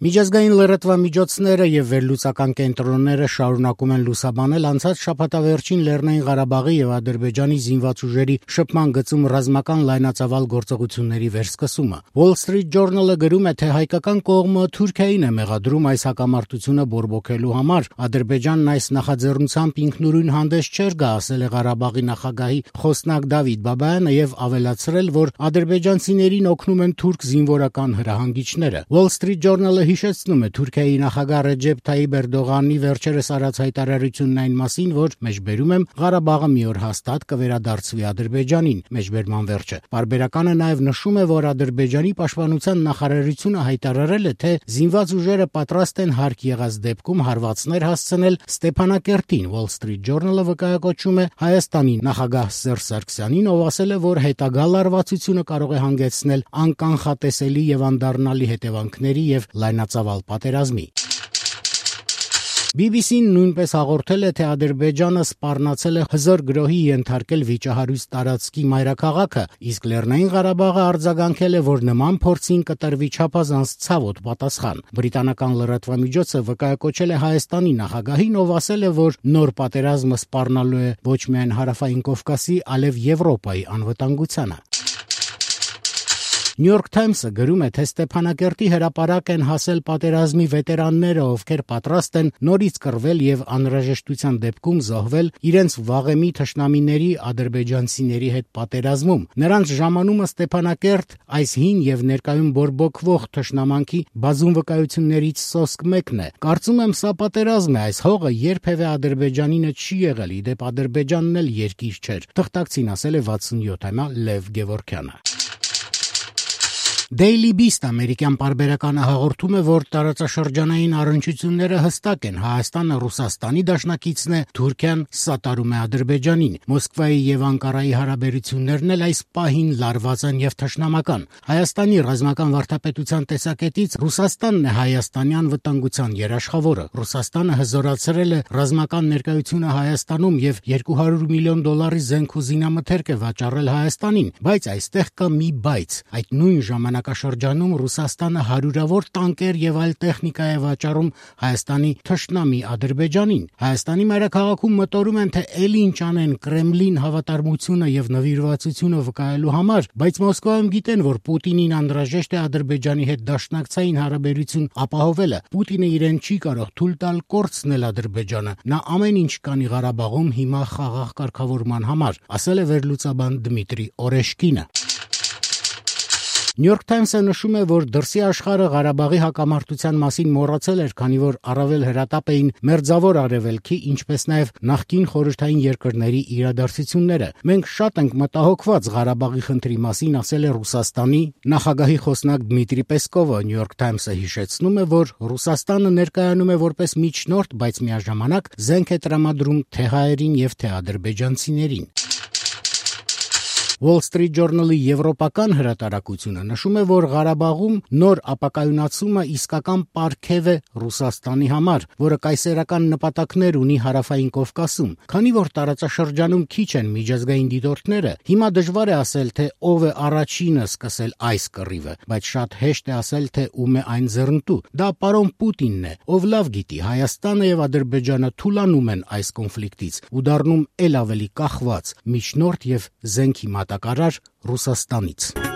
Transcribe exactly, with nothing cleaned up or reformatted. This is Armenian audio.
Միջազգային լրատվամիջոցները եւ վերլուծական կենտրոնները շարունակում են լուսաբանել անցած շաբաթավերջին Լեռնային Ղարաբաղի եւ Ադրբեջանի զինված ուժերի շփման գծում ռազմական լայնածավալ գործողությունների վերսկսումը։ Wall Street Journal-ը գրում է, թե հայկական կողմը Թուրքիային է մեղադրում այս հակամարտությունը բորբոքելու համար։ Ադրբեջանն այս նախաձեռնությամբ ինքնուրույն հանդես չէր գա, ասել է Ղարաբաղի նախագահի խոսնակ Դավիթ Բաբայանը եւ ավելացրել, որ ադրբեջանցիներին օգնում են թուրք զինվորական հրահանգիչները։ Wall Street Journal-ը հիշեցնում է Թուրքիայի նախագահ Ռեջեփ Թայիպ Էրդողանի վերջերս արած հայտարարությունն այն մասին, որ մեջբերում եմ Ղարաբաղը մի օր հաստատ կվերադարձվի Ադրբեջանին, մեջբերման վերջը։ Պարբերականը նաև նշում է, որ Ադրբեջանի պաշտպանության նախարարությունը հայտարարել է, թե զինված ուժերը պատրաստ են հարկ եղած դեպքում հարվածներ հասցնել Ստեփանակերտին։ Wall Street Journal-ը վկայակոչում է Հայաստանի նախագահ Սերժ Սարգսյանին, ով ասել է, որ հետագա լարվածությունը կարող է հանգեցնել անկանխատեսելի եւ անդառնալի հետևանքների եւ լայնածավալ պատերազմի։ բի բի սին նույնպես հաղորդել է, թե Ադրբեջանը սպառնացել է հզոր գրոհի ենթարկել վիճահարույց տարածքի մայրաքաղաքը, իսկ Լեռնային Ղարաբաղը արձագանքել է, որ նման փորձին կտրվի չափազանց ցավոտ պատասխան։ Բրիտանական լրատվամիջոցը վկայակոչել է Հայաստանի նախագահին, ով ասել է, որ նոր պատերազմը սպառնալու է ոչ միայն Հարավային Կովկասի, այլև Եվրոպայի անվտանգությանը։ New York Times-ը գրում է, թե Ստեփանակերտի հրապարակ են հասել պատերազմի վետերանները, ովքեր պատրաստ են նորից կռվել եւ անհրաժեշտության դեպքում զոհվել իրենց վաղեմի թշնամիների ադրբեջանցիների հետ պատերազմում։ Նրանց ժամանումը Ստեփանակերտ այս հին եւ ներկայում բորբոքվող թշնամանքի բազում վկայություններից սոսկ մեկն է։ Կարծում եմ, սա պատերազմ է, այս հողը երբևէ Ադրբեջանինը չի եղել, իդեպ Ադրբեջանն էլ երկիր չէր։ Թղթակցին ասել է վաթսունյոթամյա Լև Գևորգյանը։ Daily Beast ամերիկյան պարբերականը հաղորդում է, որ տարածաշրջանային առնչությունները հստակ են։ Հայաստանը Ռուսաստանի դաշնակիցն է, Թուրքիան սատարում է Ադրբեջանին։ Մոսկվայի եւ Անկարայի հարաբերություններն էլ այս պահին լարված են եւ թշնամական։ Հայաստանի ռազմական վարդապետության տեսակետից Ռուսաստանն է Հայաստանի անվտանգության երաշխավորը։ Ռուսաստանը հզորացրել է ռազմական ներկայությունը Հայաստանում եւ երկու հարյուր միլիոն դոլարի զենք ու զինամթերք է վաճառել Հայաստանին, բայց այստեղ կա մի բայց։ Այդ նույն ժամանակաշրջանում Ռուսաստանը հարյուրավոր տանկեր եւ այլ տեխնիկա է վաճառում Հայաստանի թշնամի Ադրբեջանին։ Հայաստանի մայրաքաղաքում մտորում են, թե էլի ինչ անեն Կրեմլին հավատարմությունը եւ նվիրվածությունը վկայելու համար, բայց Մոսկվայում գիտեն, որ Պուտինին անհրաժեշտ է Ադրբեջանի հետ դաշնակցային հարաբերություն ապահովելը։ Պուտինը իրեն չի կարող թույլ տալ կորցնել Ադրբեջանը։ Նա ամեն ինչ կանի Ղարաբաղում հիմա խաղաղ կարգավորման համար, ասել է վերլուծաբան Դմիտրի Օրեշկինը։ New York Times-ը նշում է, որ դրսի աշխարհը Ղարաբաղի հակամարտության մասին մոռացել էր, քանի որ առավել հրատապ էին մերձավոր արևելքի, ինչպես նաև նախկին խորհրդային երկրների իրադարձությունները։ Մենք շատ ենք մտահոգված Ղարաբաղի խնդրի մասին, ասել է Ռուսաստանի նախագահի խոսնակ Դմիտրի Պեսկովը։ New York Times-ը հիշեցնում է, որ Ռուսաստանը ներկայանում է որպես միջնորդ, բայց միաժամանակ զենք է տրամադրում թե հայերին եւ թե ադրբեջանցիներին։ Wall Street Journal-ի եվրոպական հրատարակությունը նշում է, որ Ղարաբաղում նոր ապակայունացումը իսկական պարգև է Ռուսաստանի համար, որը կայսերական նպատակներ ունի Հարավային Կովկասում։ Քանի որ տարածաշրջանում քիչ են միջազգային դիտորդները, հիմա դժվար է ասել, թե ով է առաջինը սկսել այս կռիվը, բայց շատ հեշտ է ասել, թե ում է այն ձեռնտու։ Դա պարոն Պուտինն է, ով լավ գիտի, Հայաստանը եւ Ադրբեջանը թուլանում են այս կոնֆլիկտից ու դառնում ել ավելի կախված միջնորդ եւ զենքի մատակարար Ռուսաստանից։